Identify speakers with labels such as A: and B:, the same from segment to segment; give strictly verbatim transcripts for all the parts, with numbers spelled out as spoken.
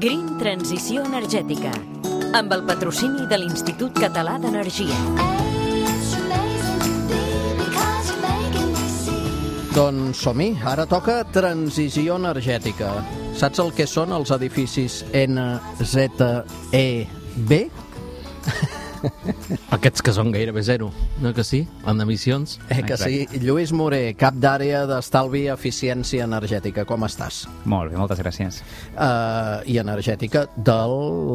A: Green Transició Energètica, amb el patrocini de l'Institut Català d'Energia.
B: Doncs som-hi, ara toca transició energètica. Saps el que són els edificis N Z E B?
C: Aquests que són gairebé zero, no que sí? En emissions?
B: Eh que sí. Lluís Moré, cap d'àrea d'estalvi i eficiència energètica. Com estàs?
D: Molt bé, moltes gràcies.
B: Uh, I energètica de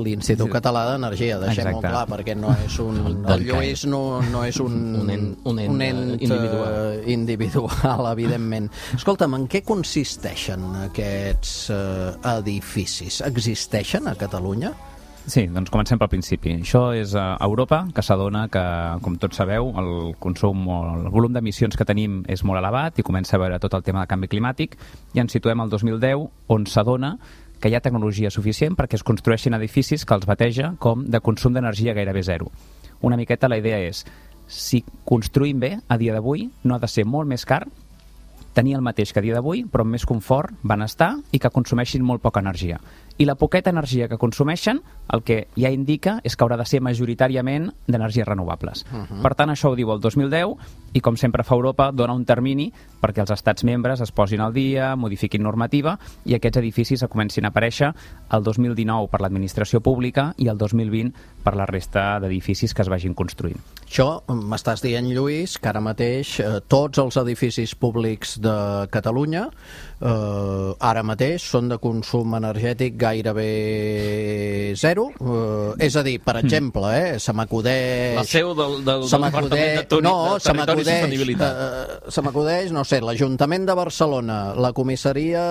B: l'Institut Català d'Energia, deixem-ho clar, perquè no és un... El Lluís no, no és un,
C: un ent, un ent,
B: un ent individual. Uh, individual, evidentment. Escolta'm, en què consisteixen aquests uh, edificis? Existeixen a Catalunya?
D: Sí, doncs comencem pel principi. Això és a Europa, que s'adona que, com tots sabeu, el consum o el volum d'emissions que tenim és molt elevat i comença a veure tot el tema de canvi climàtic, i ens situem al dos mil deu, on s'adona que hi ha tecnologia suficient perquè es construeixin edificis que els bateja com de consum d'energia gairebé zero. Una miqueta la idea és, si construïm bé, a dia d'avui, no ha de ser molt més car tenir el mateix que a dia d'avui, però amb més confort, benestar i que consumeixin molt poca energia. I la poqueta energia que consumeixen, el que ja indica és que haurà de ser majoritàriament d'energies renovables. Uh -huh. Per tant, això ho diu el dos mil deu i, com sempre fa Europa, dona un termini perquè els estats membres es posin al dia, modifiquin normativa i aquests edificis comencin a aparèixer el dos mil dinou per l'administració pública i el dos mil vint per la resta d'edificis que es vagin construint.
B: Això m'estàs dient, Lluís, que ara mateix eh, tots els edificis públics de Catalunya eh, ara mateix són de consum energètic gairebé zero. Eh, és a dir, per exemple, eh, se m'acudeix...
C: La seu del, del, del Departament de, Toni,
B: no,
C: de Territori i Sostenibilitat.
B: Eh, se m'acudeix, no sé, l'Ajuntament de Barcelona, la comissaria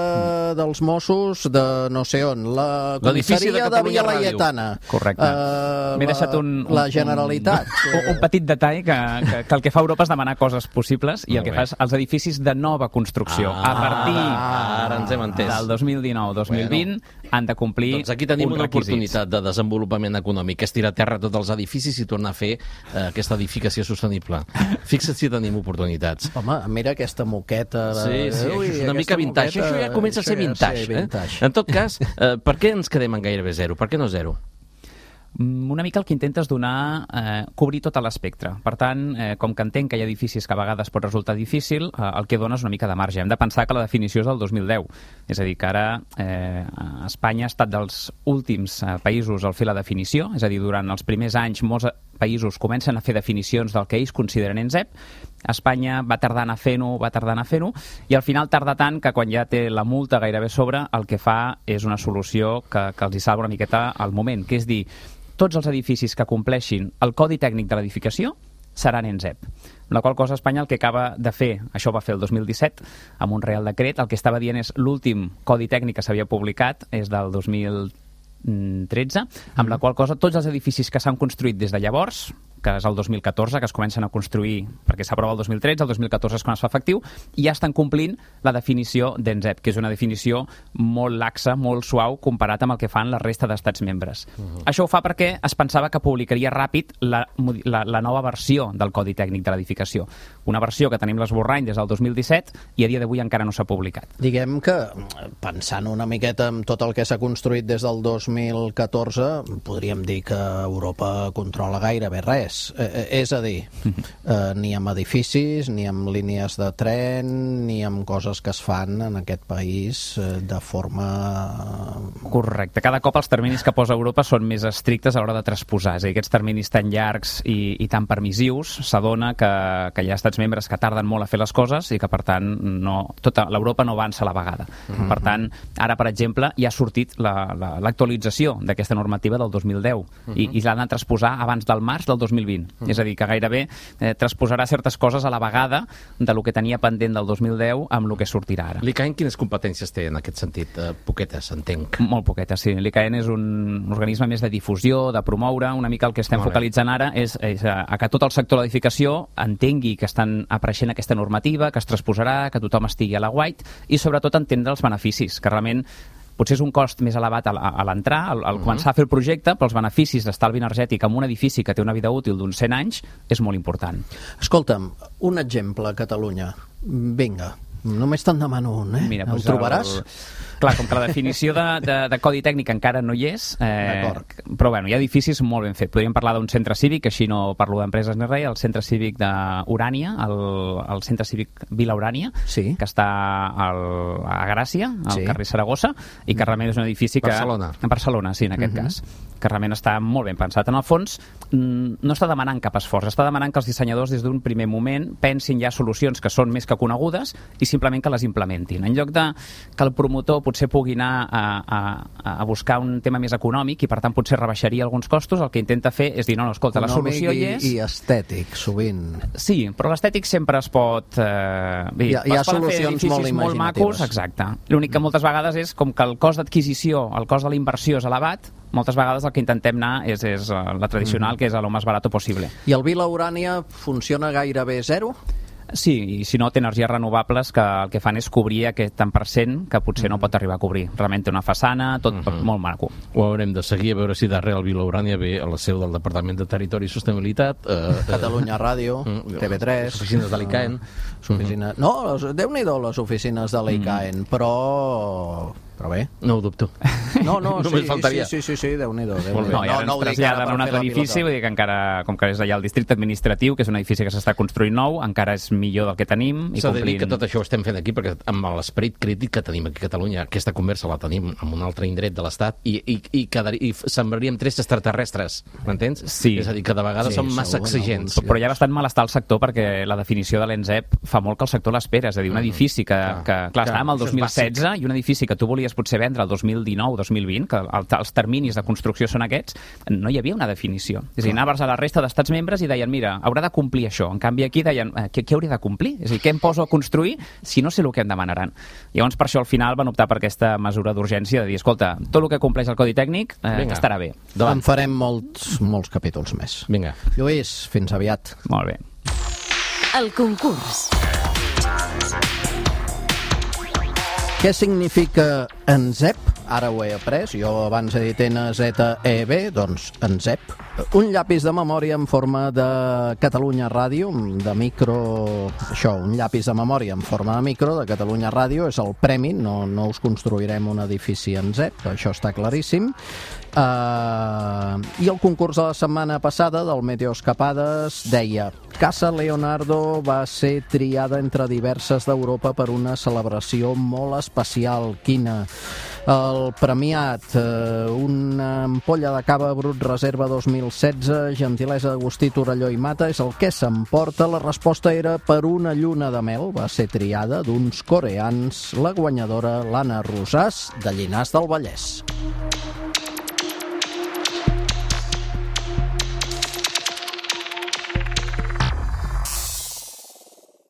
B: mm. dels Mossos de no sé on, la comissaria de, de Via Laietana.
D: Correcte.
B: Eh,
D: M'he deixat un, un,
B: la Generalitat.
D: Un, un petit detall que, que, que el que fa Europa és demanar coses possibles i el que fa és els edificis de nova construcció.
C: Ah,
D: a partir
C: ah, ara ens hem entès.
D: del dos mil dinou dos mil vint bueno, han de complir
C: doncs aquí tenim una
D: requisits.
C: Oportunitat de desenvolupament econòmic, és tirar a terra tots els edificis i tornar a fer eh, aquesta edificació sostenible. Fixa't si tenim oportunitats.
B: Home, mira aquesta moqueta.
C: De... Sí, sí,
B: Ui,
C: això és una mica vintage. Moqueta, això ja comença a ser vintage. Ja vintage. Eh? En tot cas, eh, per què ens quedem en gairebé zero? Per què no zero?
D: Una mica el que intenta és donar, eh, cobrir tot l'espectre. Per tant, eh, com que entenc que hi ha edificis que a vegades pot resultar difícil, eh, el que dona és una mica de marge. Hem de pensar que la definició és del dos mil deu. És a dir, que ara eh, Espanya ha estat dels últims eh, països al fer la definició, és a dir, durant els primers anys molts països comencen a fer definicions del que ells consideren N Z E P. Espanya va tardar a anar fent-ho, va tardar a anar fent-ho, i al final tarda tant que quan ja té la multa gairebé sobre, el que fa és una solució que, que els hi salva una miqueta al moment, que és dir, tots els edificis que compleixin el codi tècnic de l'edificació seran N Z E P. Amb la qual cosa Espanya el que acaba de fer, això va fer el dos mil disset, amb un Real Decret, el que estava dient és l'últim codi tècnic que s'havia publicat és del dos mil tretze, amb la qual cosa tots els edificis que s'han construït des de llavors, que és el dos mil catorze, que es comencen a construir perquè s'aprova el dos mil tretze, el dos mil catorze és quan es fa efectiu, i ja estan complint la definició d'N Z E P, que és una definició molt laxa, molt suau, comparat amb el que fan la resta d'estats membres. Uh-huh. Això ho fa perquè es pensava que publicaria ràpid la, la, la nova versió del Codi Tècnic de l'Edificació. Una versió que tenim l'esborrany des del dos mil disset i a dia d'avui encara no s'ha publicat.
B: Diguem que, pensant una miqueta en tot el que s'ha construït des del dos mil catorze, podríem dir que Europa controla gairebé res. Eh, és a dir, eh, ni amb edificis, ni amb línies de tren, ni amb coses que es fan en aquest país eh, de forma...
D: Correcte. Cada cop els terminis que posa Europa són més estrictes a l'hora de transposar. És a dir, aquests terminis tan llargs i, i tan permissius, s'adona que, que hi ha estats membres que tarden molt a fer les coses i que, per tant, no, tota l'Europa no avança a la vegada. Mm-hmm. Per tant, ara, per exemple, ja ha sortit l'actualització la, la, d'aquesta normativa del dos mil deu mm-hmm. i, i l'han de transposar abans del març del dos mil vint. Mm. És a dir, que gairebé eh, transposarà certes coses a la vegada de lo que tenia pendent del dos mil deu amb el que sortirà ara.
C: L'I C A E N quines competències té en aquest sentit? Eh, poquetes, entenc.
D: Molt poquetes, sí. L'I C A E N és un organisme més de difusió, de promoure. Una mica el que estem Molt focalitzant bé. ara és, és a, a que tot el sector de l'edificació entengui que estan apareixent aquesta normativa, que es transposarà, que tothom estigui a la guait i sobretot entendre els beneficis, que realment potser és un cost més elevat a l'entrar, al, al uh-huh. començar a fer el projecte, però els beneficis d'estalvi energètic en un edifici que té una vida útil d'uns cent anys és molt important.
B: Escolta'm, un exemple a Catalunya. Vinga, només te'n demano un, eh?
D: Mira,
B: el
D: doncs
B: trobaràs?
D: El... Clar, com que la definició de, de, de codi tècnic encara no hi és, eh, però bueno, hi ha edificis molt ben fets. Podríem parlar d'un centre cívic, així no parlo d'empreses ni res, el centre cívic d'Urània, el, el centre cívic Vila Urània,
B: sí.
D: que està al, a Gràcia, al
B: sí.
D: carrer Saragossa, i que realment és un edifici que...
C: Barcelona.
D: A Barcelona, sí, en aquest uh-huh. cas. Que realment està molt ben pensat. En el fons, no està demanant cap esforç, està demanant que els dissenyadors des d'un primer moment pensin ja solucions que són més que conegudes i simplement que les implementin. En lloc de que el promotor potser pugui anar a, a, a buscar un tema més econòmic i per tant potser rebaixaria alguns costos, el que intenta fer és dir, no, no, escolta, la solució hi és...
B: I, i estètic, sovint.
D: Sí, però l'estètic sempre es pot... Eh, bé,
B: hi ha, hi ha solucions molt imaginatives.
D: Molt macos, exacte. L'únic que moltes vegades és com que el cost d'adquisició, el cost de la inversió és elevat, moltes vegades el que intentem anar és, és la tradicional, mm. que és a lo més barat possible.
B: I el Vila Urània funciona gairebé zero?
D: Sí, i si no té energies renovables que el que fan és cobrir aquest tant per cent que potser mm. no pot arribar a cobrir. Realment té una façana, tot mm -hmm. molt maco.
C: Ho haurem de seguir a veure si darrere el Vila Urània ve a la seu del Departament de Territori i Sostenibilitat. Eh,
B: Catalunya Ràdio,
C: mm,
B: T V tres...
C: Les oficines de l'I C A E N.
B: Oficina... No, Déu-n'hi-do les oficines de l'I C A E N, mm. però... Però bé.
C: No ho dubto.
B: No, no,
C: Només
B: sí,
C: faltaria.
B: sí, sí, sí, sí, Déu-n'hi-do.
D: Déu no, i ara no, ens traslladen a un altre edifici, vull dir que encara, com que és allà el districte administratiu, que és un edifici que s'està construint nou, encara és millor del que tenim.
C: S'ha de dir que tot això ho estem fent aquí, perquè amb l'esperit crític que tenim aquí a Catalunya, aquesta conversa la tenim en un altre indret de l'Estat, i, i, i, quedar, i sembraríem trets extraterrestres, m'entens?
D: Sí.
C: És a dir, que de vegades sí, som massa exigents.
D: Però hi ha bastant malestar al sector, perquè la definició de l'E N S E P fa molt que el sector l'espera, és a dir, un edifici que, mm. que clar, clar, estàvem al dos mil setze, i un edifici que tu volies potser vendre el dos mil dinou dos mil vint, que el, els terminis de construcció són aquests, no hi havia una definició. És a dir, anaves a la resta d'estats membres i deien, mira, haurà de complir això. En canvi, aquí deien, eh, què, què hauria de complir? És a dir, què em poso a construir si no sé el que em demanaran? Llavors, per això, al final, van optar per aquesta mesura d'urgència de dir, escolta, tot el que compleix el codi tècnic eh, estarà bé.
B: Davant. En farem molts, molts capítols més.
C: Vinga.
B: Lluís, fins aviat.
D: Molt bé.
A: El concurs.
B: Què significa E N S E P? Ara ho he après, jo abans he dit N Z E B, doncs E N S E P. Un llapis de memòria en forma de Catalunya Ràdio, de micro... Això, un llapis de memòria en forma de micro de Catalunya Ràdio, és el premi, no, no us construirem un edifici E N S E P, això està claríssim. Uh, I el concurs de la setmana passada del Meteoscapades deia: Casa Leonardo va ser triada entre diverses d'Europa per una celebració molt especial. Quina? El premiat, uh, una ampolla de cava Brut Reserva dos mil setze, gentilesa d'Agustí Torelló i Mata, és el que s'emporta. La resposta era per una lluna de mel, va ser triada d'uns coreans, la guanyadora l'Anna Rosàs, de Llinars del Vallès.